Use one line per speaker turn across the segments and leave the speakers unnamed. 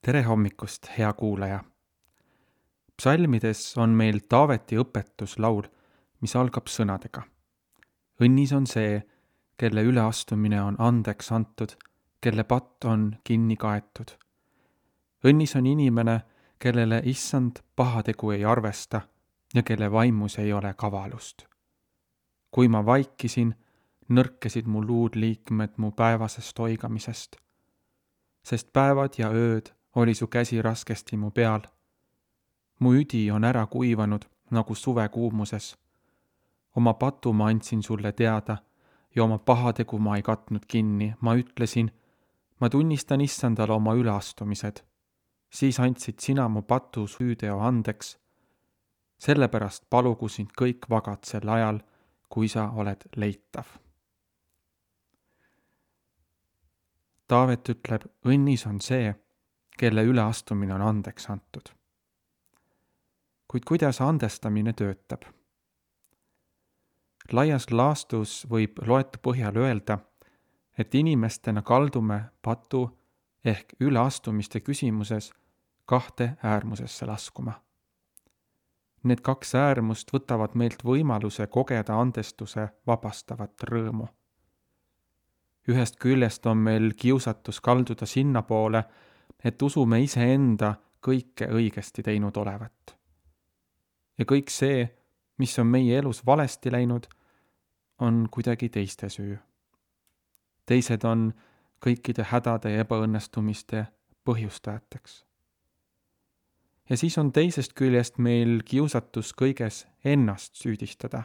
Tere hommikust, hea kuulaja! Psalmides on meil Taaveti õpetuslaul, mis algab sõnadega. Õnnis on see, kelle üleastumine on andeks antud, kelle patt on kinni kaetud. Õnnis on inimene, kellele issand pahategu ei arvesta ja kelle vaimus ei ole kavalust. Kui ma vaikisin, nõrkesid mu luudliikmed mu päevasest oigamisest. Sest päevad ja ööd oli su käsi raskesti mu peal. Mu üdi on ära kuivanud nagu suve kuumuses. Oma patu ma andsin sulle teada ja oma pahategu ma ei katnud kinni. Ma ütlesin, ma tunnistan issandale oma üleastumised. Siis andsid sina mu patu süüteo andeks. Sellepärast palugu sind kõik vagad sel ajal, kui sa oled leitav. Taavet ütleb, õnnis on see, kelle üleastumine on andeks antud. Kuid kuidas andestamine töötab? Laias laastus võib loetu põhjal öelda, et inimestena kaldume patu ehk üleastumiste küsimuses kahte äärmusesse laskuma. Need kaks äärmust võtavad meilt võimaluse kogeda andestuse vabastavat rõõmu. Ühest küljest on meil kiusatus kalduda sinnapoole, et usume iseenda kõike õigesti teinud olevat. Ja kõik see, mis on meie elus valesti läinud, on kuidagi teiste süü. Teised on kõikide hädade ja ebaõnnestumiste põhjustajateks. Ja siis on teisest küljest meil kiusatus kõiges ennast süüdistada,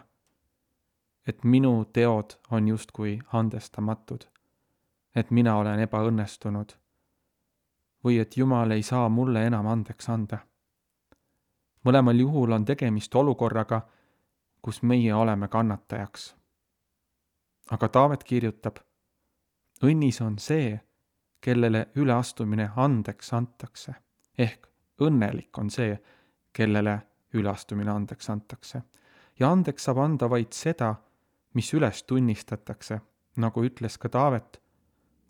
et minu teod on justkui andestamatud, et mina olen ebaõnnestunud või et Jumal ei saa mulle enam andeks anda. Mõlemal juhul on tegemist olukorraga, kus meie oleme kannatajaks. Aga Taavet kirjutab, õnnis on see, kellele üleastumine andeks antakse, ehk õnnelik on see, kellele üleastumine andeks antakse. Ja andeks saab anda vaid seda, mis üles tunnistatakse, nagu ütles ka Taavet,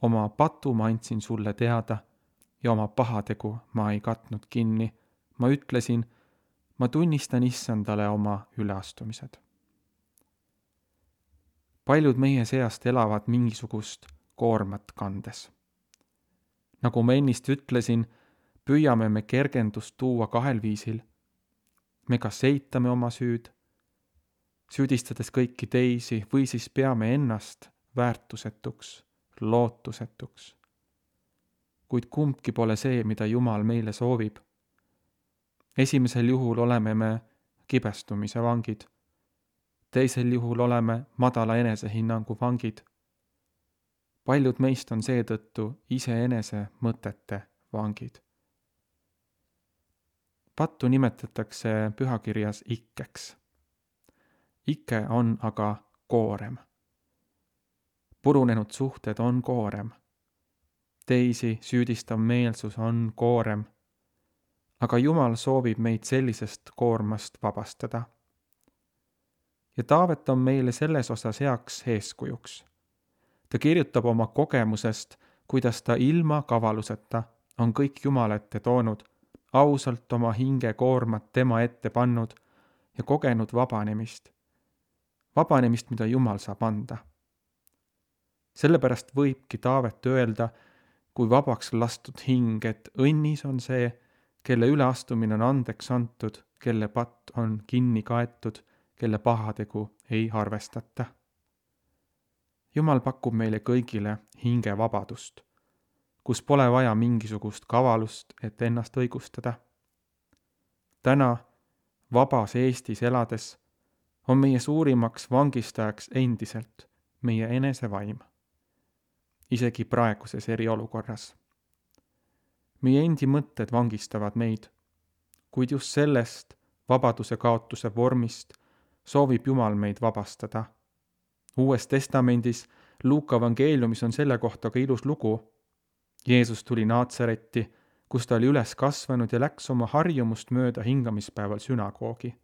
oma patu ma andsin sulle teada ja oma pahategu ma ei katnud kinni. Ma ütlesin, ma tunnistan issandale oma üleastumised. Paljud meie seast elavad mingisugust koormat kandes. Nagu ma ennist ütlesin, püüame me kergendust tuua kahel viisil. Me kas eitame oma süüd, süüdistades kõiki teisi, või siis peame ennast väärtusetuks, lootusetuks. Kuid kumbki pole see, mida Jumal meile soovib. Esimesel juhul oleme me kibestumise vangid. Teisel juhul oleme madala enesehinnangu vangid. Paljud meist on seetõttu iseenese mõtete vangid. Pattu nimetatakse pühakirjas ikkeks. Ikke on aga koorem. Purunenud suhted on koorem. Teisi süüdistav meelsus on koorem. Aga Jumal soovib meid sellisest koormast vabastada. Ja Taavet on meile selles osas heaks eeskujuks. Ta kirjutab oma kogemusest, kuidas ta ilma kavaluseta on kõik Jumala ette toonud, ausalt oma hinge koormat tema ette pannud ja kogenud vabanemist. Vabanemist, mida Jumal saab anda. Sellepärast võibki Taavet öelda, kui vabaks lastud hing, et õnnis on see, kelle üleastumine on andeks antud, kelle patt on kinni kaetud, kelle pahategu ei arvestata. Jumal pakub meile kõigile hingevabadust, kus pole vaja mingisugust kavalust, et ennast õigustada. Täna, vabas Eestis elades, on meie suurimaks vangistajaks endiselt meie enesevaim, isegi praeguses eriolukorras. Meie endi mõtted vangistavad meid, kuid just sellest vabaduse kaotuse vormist soovib Jumal meid vabastada. Uues testamendis, Luuka evangeeliumis on selle kohta ka ilus lugu. Jeesus tuli Naatsaretti, kus ta oli üles kasvanud ja läks oma harjumust mööda hingamispäeval sünagoogi.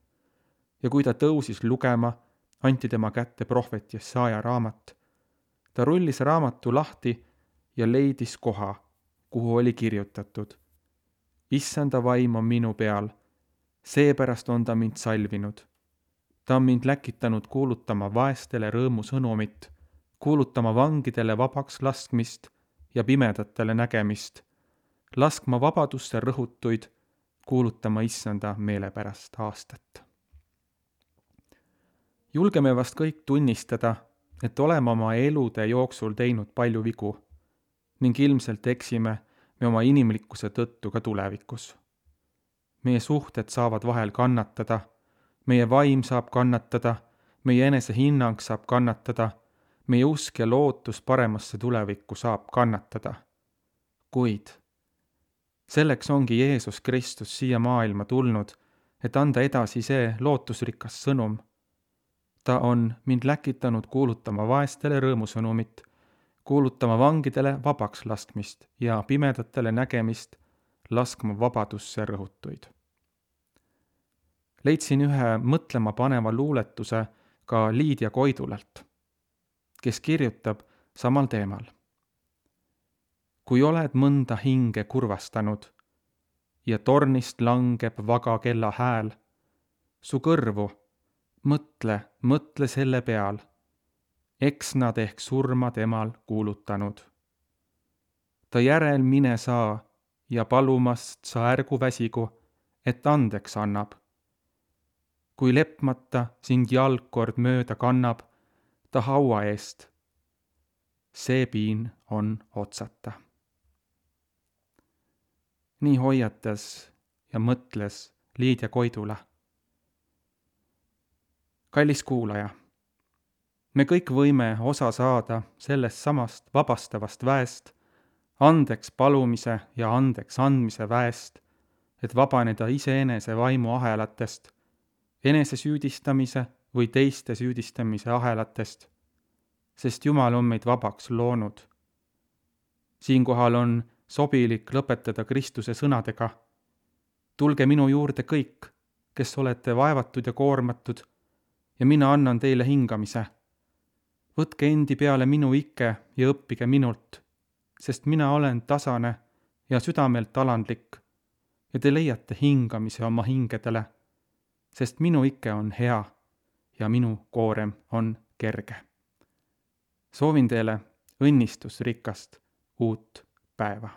Ja kui ta tõusis lugema, anti tema kätte prohvet Jesaja raamat. Ta rullis raamatu lahti ja leidis koha, kuhu oli kirjutatud: Issanda vaim on minu peal, seepärast on ta mind salvinud. Ta on mind läkitanud kuulutama vaestele rõõmusõnumit, kuulutama vangidele vabaks laskmist ja pimedatele nägemist, laskma vabadusse rõhutuid, kuulutama Issanda meelepärast aastat. Julgeme vast kõik tunnistada, et oleme oma elude jooksul teinud palju vigu ning ilmselt eksime me oma inimlikkuse tõttu ka tulevikus. Meie suhted saavad vahel kannatada, meie vaim saab kannatada, meie enesehinnang saab kannatada, meie usk ja lootus paremasse tulevikku saab kannatada. Kuid selleks ongi Jeesus Kristus siia maailma tulnud, et anda edasi see lootusrikas sõnum. Ta on mind läkitanud kuulutama vaestele rõõmusõnumit, kuulutama vangidele vabaks laskmist ja pimedatele nägemist, laskma vabadusse rõhutuid. Leidsin ühe mõtlema paneva luuletuse ka Liidia Koidulalt, kes kirjutab samal teemal. Kui oled mõnda hinge kurvastanud ja tornist langeb vaga kella hääl, su kõrvu, mõtle selle peal, eks nad ehk surma temal kuulutanud. Ta järel mine saa ja palumast sa ärgu väsigu, et andeks annab. Kui lepmata sind jalgkord mööda kannab, ta haua eest. See piin on otsata. Nii hoiatas ja mõtles Liidia Koidula. Kallis kuulaja, me kõik võime osa saada sellest samast vabastavast väest, andeks palumise ja andeks andmise väest, et vabaneda iseenese vaimu ahelatest, enese süüdistamise või teiste süüdistamise ahelatest, sest Jumal on meid vabaks loonud. Siinkohal on sobilik lõpetada Kristuse sõnadega. Tulge minu juurde kõik, kes olete vaevatud ja koormatud, ja mina annan teile hingamise. Võtke endi peale minu ikke ja õppige minult, sest mina olen tasane ja südamelt alandlik ja te leiate hingamise oma hingedele, sest minu ikke on hea ja minu koorem on kerge. Soovin teile õnnistusrikast uut päeva.